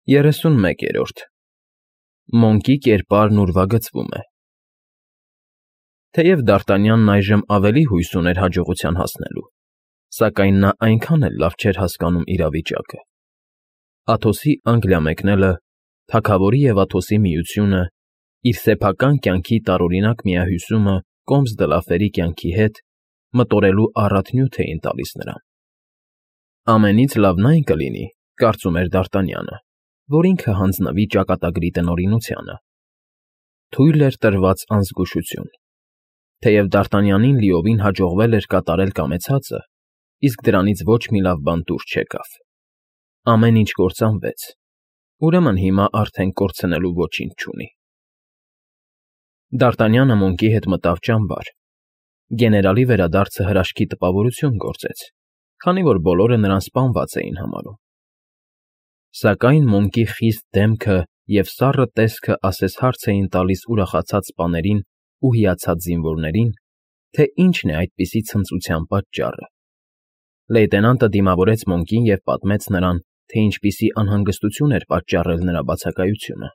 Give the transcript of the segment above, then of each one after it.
31-րդ Մոնկի կերպարն ուրվագծվում է։ Թեև Դարտանյանն այժմ ավելի հույս ուներ հաջողության հասնելու, սակայն նա այնքան էլ լավ չէր հասկանում իրավիճակը։ Աթոսի Անգլիա մեկնելը, թագավորի և Աթոսի միությունը, իր սեփական կյանքի տարօրինակ միահյուսումը Կոմս Դլաֆերի կյանքի հետ մտորելու առատ նյութ էին տալիս նրան։ Ամենից լավն այն կլինի, կարծում էր Դարտանյանը, որ ինքը հանձնվի ճակատագրի տնօրինությանը։ Թույլ էր տրված անզգուշություն։ Թեև Դարտանյանին լիովին հաջողվել էր կատարել կամեցածը, իսկ դրանից ոչ մի լավ բան դուրս չեկավ։ Ամեն ինչ կործանվեց, ուրեմն հիմա արդեն կորցնելու ոչինչ չունի։ Դարտանյանը Մոնկի հետ մտավ ճամբար։ Գեներալի վերադարձը հրաշքի տպավորություն գործեց, քանի որ բոլորը նրան սպանված էին համարում։ Սակայն Մոնկի խիստ դեմքը և սառը տեսքը ասես հարց էին տալիս ուրախացած սպաներին ու հիացած զինվորներին, թե ինչն է այդպիսի ցնծության պատճառը։ Լեյտենանտը դիմավորեց Մոնկին և պատմեց նրան, թե ինչպիսի անհանգստություն էր պատճառել նրա բացակայությունը։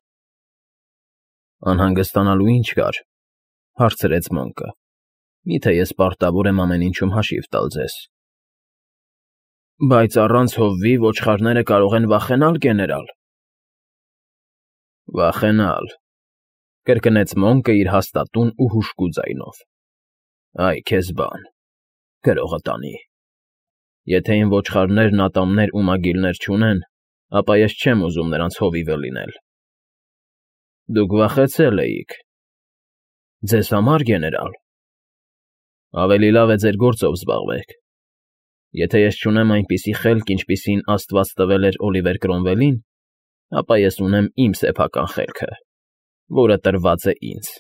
«Անհանգստանալու ինչ կար,֊ հարցրեց Մոնկը,֊ միթե ես պարտավոր եմ ամեն ինչում հաշիվ տալ ձեզ»։ «Բայց առանց հովվի ոչխարները կարող են վախենալ, գեներալ»։ «Վախենալ,֊ կրկնեց Մոնկը իր հաստատուն ու հուժկու ձայնով։֊ Այ քեզ բան, գրողը տանի։ Եթե իմ ոչխարներն ատամներ ու մագիլներ չունեն, ապա ես չեմ ուզում նրանց հովիվը լինել։ Դուք վախեցել էիք։ Ձեզ համար, գեներալ։ Ավելի լավ է ձեր գործով զբաղվեք։ Եթե ես չունեմ այնպիսի խելք, ինչպիսին Աստված տվել էր Օլիվեր Կրոմվելին, ապա ես ունեմ իմ սեփական խելքը, որը տրված է ինձ,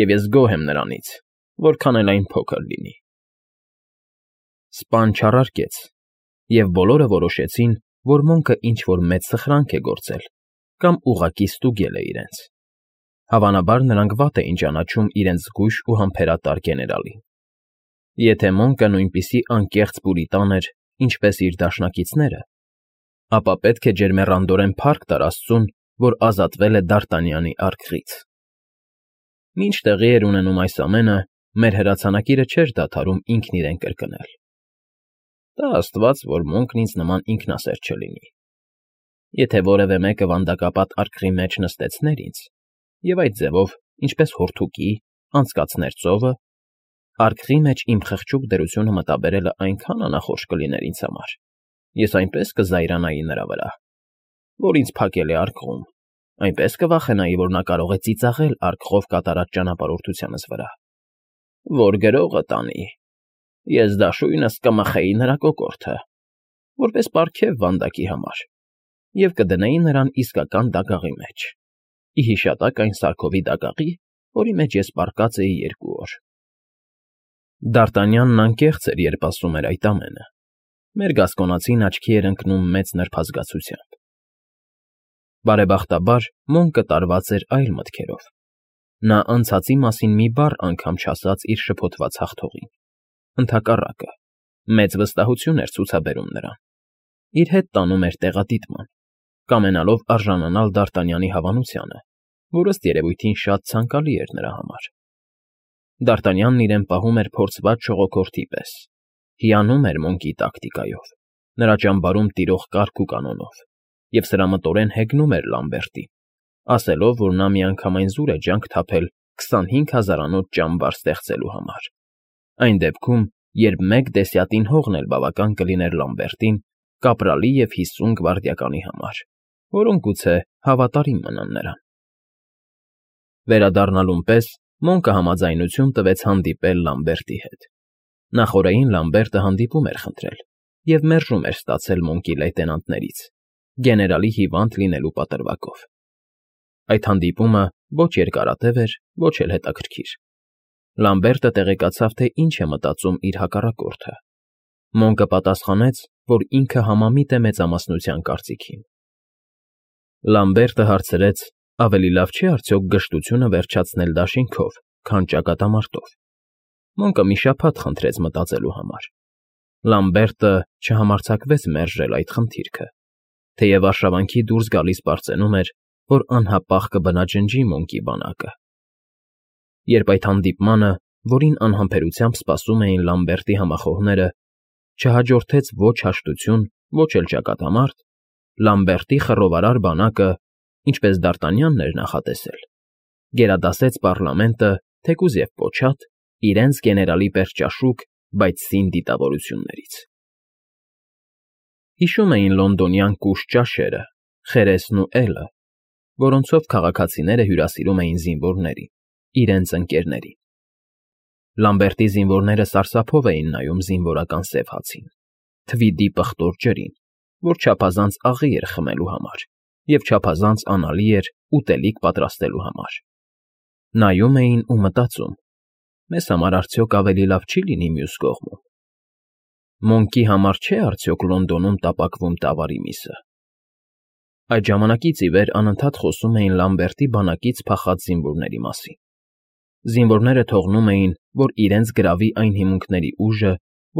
և ես գոհ եմ նրանից, որքան էլ այն փոքր լինի։ Սպան չառարկեց, և բոլորը որոշեցին, որ Մոնկը ինչ֊որ մեծ սխրանք է գործել կամ ուղղակի ստուգել է իրենց։ Հավանաբար նրանք վատ էին ճանաչում իրենց զգույշ ու համբերատար գեներալին։ Եթե Մոնկը նույնպիսի անկեղծ պուրիտան էր, ինչպես իր դաշնակիցները, ապա պետք է ջերմեռանդորեն փառք տար Աստծուն, որ ազատվել է Դարտանյանի արքղից։ Մինչ տեղի էր ունենում այս ամենը, մեր հրացանակիրը չէր դադարում ինքն իրեն կրկնել. «Տա Աստված, որ Մոնկն ինձ նման ինքնասեր չլինի։ Եթե որևէ մեկը վանդակապատ արքղի մեջ նստեցներ ինձ, և այդ ձևով, ինչպես հորդուկի, անցկացներ ծովը, արքղի մեջ իմ խղճուկ դրությունը մտաբերելը այնքան անախորժ կլիներ ինձ համար, ես այնպես կզայրանայի նրա վրա, որ ինձ փակել է արքղում, այնպես կվախենայի, որ նա կարող է ծիծաղել արքղով կատարած ճանապարհորդությանս վրա, որ գրողը տանի, ես դաշույնս կմխեի նրա կոկորդը, որպես պարգև վանդակի համար, և կդնեի նրան իսկական դագաղի մեջ, ի հիշատակ այն Սարքովի դագաղի, որի մեջ ես պառկած էի 2 օր»։ Դարտանյանն անկեղծ էր, երբ ասում էր այդ ամենը։ Մեր գասկոնացին աչքի էր ընկնում մեծ նրբազգացությամբ։ Բարեբախտաբար Մոնկը տարված էր այլ մտքերով։ Նա անցածի մասին մի բառ անգամ չասաց իր շփոթված հաղթողին։ Ընդհակառակը, մեծ վստահություն էր ցուցաբերում նրան։ Իր հետ տանում էր տեղադիտման, կամենալով արժանանալ Դարտանյանի հավանությանը, որ ըստ երևույթին շատ ցանկալի էր նրա համար։ Դարտանյանն իրեն պահում էր փորձված ժողոքորդի պես, հիանում էր Մոնկի տակտիկայով, նրա ճամբարում տիրող կարգ ու կանոնով, և սրամտորեն հեգնում էր Լամբերտին, ասելով, որ նա միանգամայն զուր է ջանք թափել 25,000-անոց ճամբար ստեղծելու համար։ Այն դեպքում, երբ մեկ դեսյատին հողն էլ բավական կլիներ Լամբերտին, կապրալի և 50 գվարդիականի համար, որոնք գուցե հավատարիմ մնան նրան։ Վերադառնալուն պես Մոնկը համաձայնություն տվեց հանդիպել Լամբերտի հետ։ Նախօրեին Լամբերտը հանդիպում էր խնդրել և մերժում էր ստացել Մոնկի լեյտենանտներից, գեներալի հիվանդ լինելու պատրվակով։ Այդ հանդիպումը ոչ երկարատև էր, ոչ էլ հետաքրքիր։ Լամբերտը տեղեկացավ, թե ինչ է մտածում իր հակառակորդը։ Մոնկը պատասխանեց, որ ինքը համամիտ է մեծամասնության կարծիքին։ Լամբերտը հարցրեց. ավելի լավ չէ արդյոք գժտությունը վերջացնել դաշինքով, քան ճակատամարտով։ Մոնկը մի շաբաթ խնդրեց մտածելու համար։ Լամբերտը չհամարձակվեց մերժել այդ խնդիրքը։ թեև արշավանքի դուրս գալիս պարծենում էր, որ անհապաղ կբնաջնջի Մոնկի բանակը։ Երբ այդ հանդիպմանը, որին անհամբերությամբ սպասում էին Լամբերտի համախոհները, չհաջորդեց ոչ հաշտություն, ոչ էլ ճակատամարտ, Լամբերտի խռովարար բանակը, ինչպես Դարտանյանն էր նախատեսել, գերադասեց պառլամենտը, թեկուզ և պոչատ, իրենց գեներալի պես ճաշուկ, բայց սին դիտավորություններից։ Հիշում էին լոնդոնյան կուշտ ճաշերը, խերեսն ու էլը, որոնցով քաղաքացիները հյուրասիրում էին զինվորներին, իրենց ընկերներին։ Լամբերտի զինվորները սարսափով էին նայում զինվորական սև հացին, թվիդի պղտոր ջրին, որ չափազանց աղի էր խմելու համար և չափազանց անալի էր ուտելիք պատրաստելու համար։ Նայում էին ու մտածում. մեզ համար արդյոք ավելի լավ չի լինի մյուս կողմում։ Մոնկի համար չէ՞ արդյոք Լոնդոնում տապակվում տավարի միսը։ Այդ ժամանակից ի վեր անընդհատ խոսում էին Լամբերտի բանակից փախած զինվորների մասին։ Զինվորները թողնում էին, որ իրենց գրավի այն հիմունքների ուժը,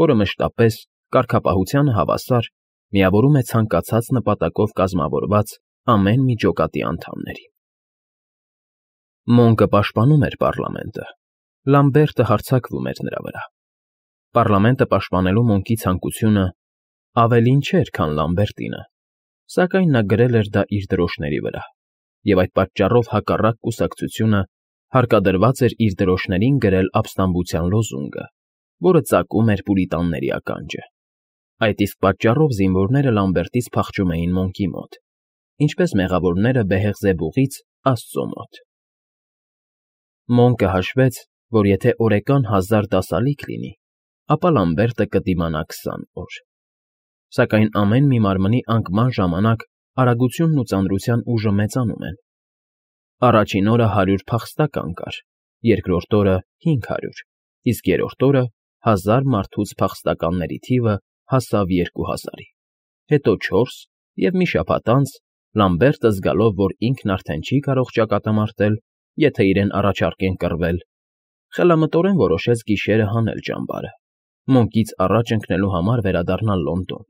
որը մշտապես, կարգապահությանը հավասար, միավորում է ցանկացած նպատակով կազմավորված ամեն մի ջոկատի անդամներին։ Մոնկը պաշտպանում էր պառլամենտը, Լամբերտը հարձակվում էր նրա վրա։ Պառլամենտը պաշտպանելու Մոնկի ցանկությունը ավելին չէր, քան Լամբերտինը, սակայն նա գրել էր դա իր դրոշների վրա, և այդ պատճառով հակառակ կուսակցությունը հարկադրված էր իր դրոշներին գրել ապստամբության լոզունգը, որը ծակում էր պուրիտանների ականջը։ Այդ իսկ պատճառով զինվորները Լամբերտից փախչում էին Մոնկի մոտ, ինչպես մեղավորները Բեհեղզեբուղից Աստծո մոտ։ Մոնկը հաշվեց, որ եթե օրեկան 1000 դասալիկ լինի, ապա Լամբերտը կդիմանա 20 օր։ Սակայն ամեն մի մարմնի անկման ժամանակ արագությունն ու ծանրության ուժը մեծանում են։ Առաջին օրը 100 փախստական կար, երկրորդ օրը 500, իսկ երրորդ օրը 1000 մարդուց փախստականների թիվը հասավ 2000-ի, հետո 4 և մի շաբաթ անց Լամբերտը զգալով, որ ինքն արդեն չի կարող ճակատամարտել, եթե իրեն առաջարկեն կռվել, խելամտորեն որոշեց գիշերը հանել ճամբարը, Մոնկից առաջ ընկնելու համար վերադառնալ Լոնդոն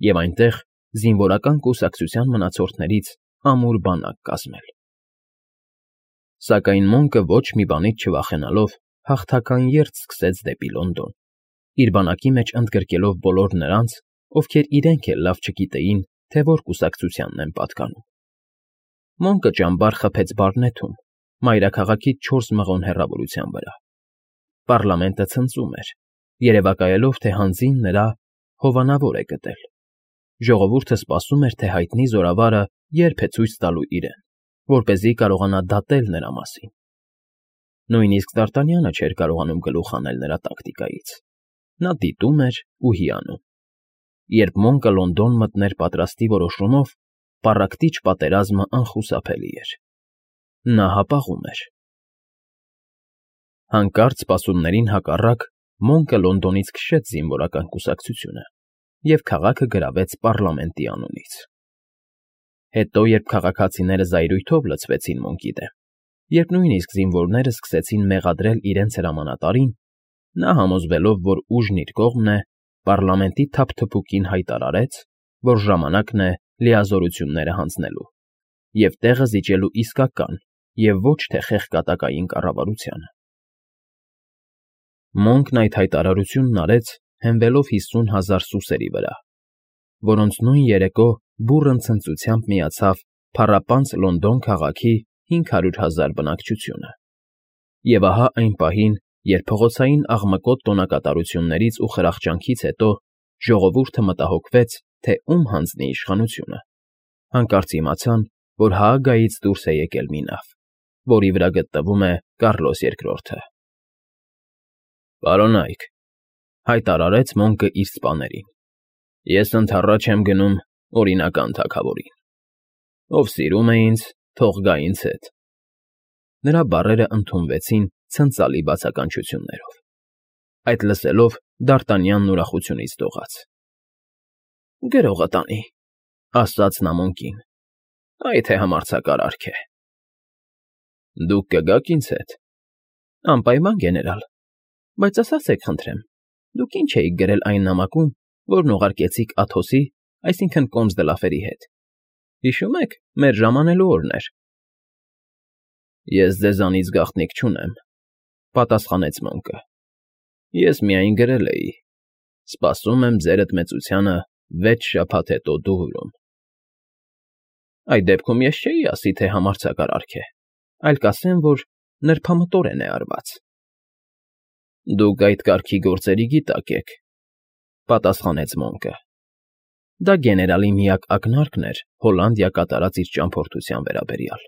և այնտեղ զինվորական կուսակցության մնացորդներից ամուր բանակ կազմել։ Սակայն Մոնկը ոչ մի բանից չվախենալով հաղթական երթ սկսեց դեպի Լոնդոն, իր բանակի մեջ ընդգրկելով բոլոր նրանց, ովքեր իրենք էլ լավ չգիտեին, թե որ կուսակցությանն են պատկանում։ Մոնկը ճամբար խփեց Բարնեթում, մայրաքաղաքից 4 մղոն հեռավորության վրա։ Պառլամենտը ցնծում էր, երևակայելով, թե հանձին նրա հովանավոր է գտել։ Ժողովուրդը սպասում էր, թե հայտնի զորավարը երբ է ցույց տալու իրեն, որպեսզի կարողանա դատել նրա մասին։ Նույնիսկ Դարտանյանը չէր կարողանում գլուխ հանել նրա տակտիկայից։ Նա դիտում էր ու հիանում։ Երբ Մոնկը Լոնդոն մտներ պատրաստի որոշումով, պառակտիչ պատերազմը անխուսափելի էր։ Նա հապաղում էր։ Հանկարծ սպասումներին հակառակ Մոնկը Լոնդոնից քշեց զինվորական կուսակցությունը և քաղաքը գրավեց պառլամենտի անունից։ Հետո, երբ քաղաքացիները զայրույթով լցվեցին Մոնկի դեմ, երբ նույնիսկ զինվորները սկսեցին մեղադրել իրենց հրամանատարին, նա համոզվելով, որ ուժն իր կողմն է, պառլամենտի թափթփուկին հայտարարեց, որ ժամանակն է լիազորությունները հանձնելու և տեղը զիջելու իսկական և ոչ թե խեղկատակային կառավարությանը։ Մոնկն այդ հայտարարությունն արեց, հենվելով 50,000 սուսերի վրա, որոնց նույն երեկո բուռն ցնծությամբ միացավ փառապանծ Լոնդոն քաղաքի 500,000 բնակչությունը։ Եվ ահա այն պահին, երբ փողոցային աղմկոտ տոնակատարություններից ու խրախճանքից հետո ժողովուրդը մտահոգվեց, թե ում հանձնի իշխանությունը, հանկարծ իմացան, որ Հաագայից դուրս է եկել մի նավ, որի վրա գտնվում է Կառլոս II-ը։ «Պարոնայք,֊ հայտարարեց Մոնկը իր սպաներին,֊ ես ընդառաջ եմ գնում օրինական թագավորին։ Ով սիրում է ինձ, թող գա ինձ հետ»։ Նրա բառերը ընդունվեցին ցնծալի բացականչություններով։ Այդ լսելով Դարտանյանն ուրախությունից դողաց։ «Գրողը տանի,֊ ասաց նա Մոնկին,֊ այ թե համարձակարարք է»։ «Դուք կգաք ինձ հետ»։ «Անպայման, գեներալ, բայց ասացեք խնդրեմ, դուք ինչ էիք գրել այն նամակում, որն ուղարկեցիք Աթոսի, այսինքն՝ Կոմս դը Լաֆերի հետ, Հիշո՞ւմ եք, մեր ժամանելու օրն էր։ Ես ձեզանից գաղտնիք չունեմ,֊ պատասխանեց Մոնկը։ Ես միայն գրել էի. «Սպասում եմ ձերդ մեծությանը 6 շաբաթ հետո Դուվրում»։ Այդ դեպքում ես չէի ասի, թե համարձակարար է, այլ կասեմ, որ նրբամտորեն է արված։ Դուք այդ կարգի գործերի գիտակ եք,֊ պատասխանեց Մոնկը։ Դա գեներալի միակ ակնարկն էր Հոլանդիա կատարած իր ճամփորդության վերաբերյալ։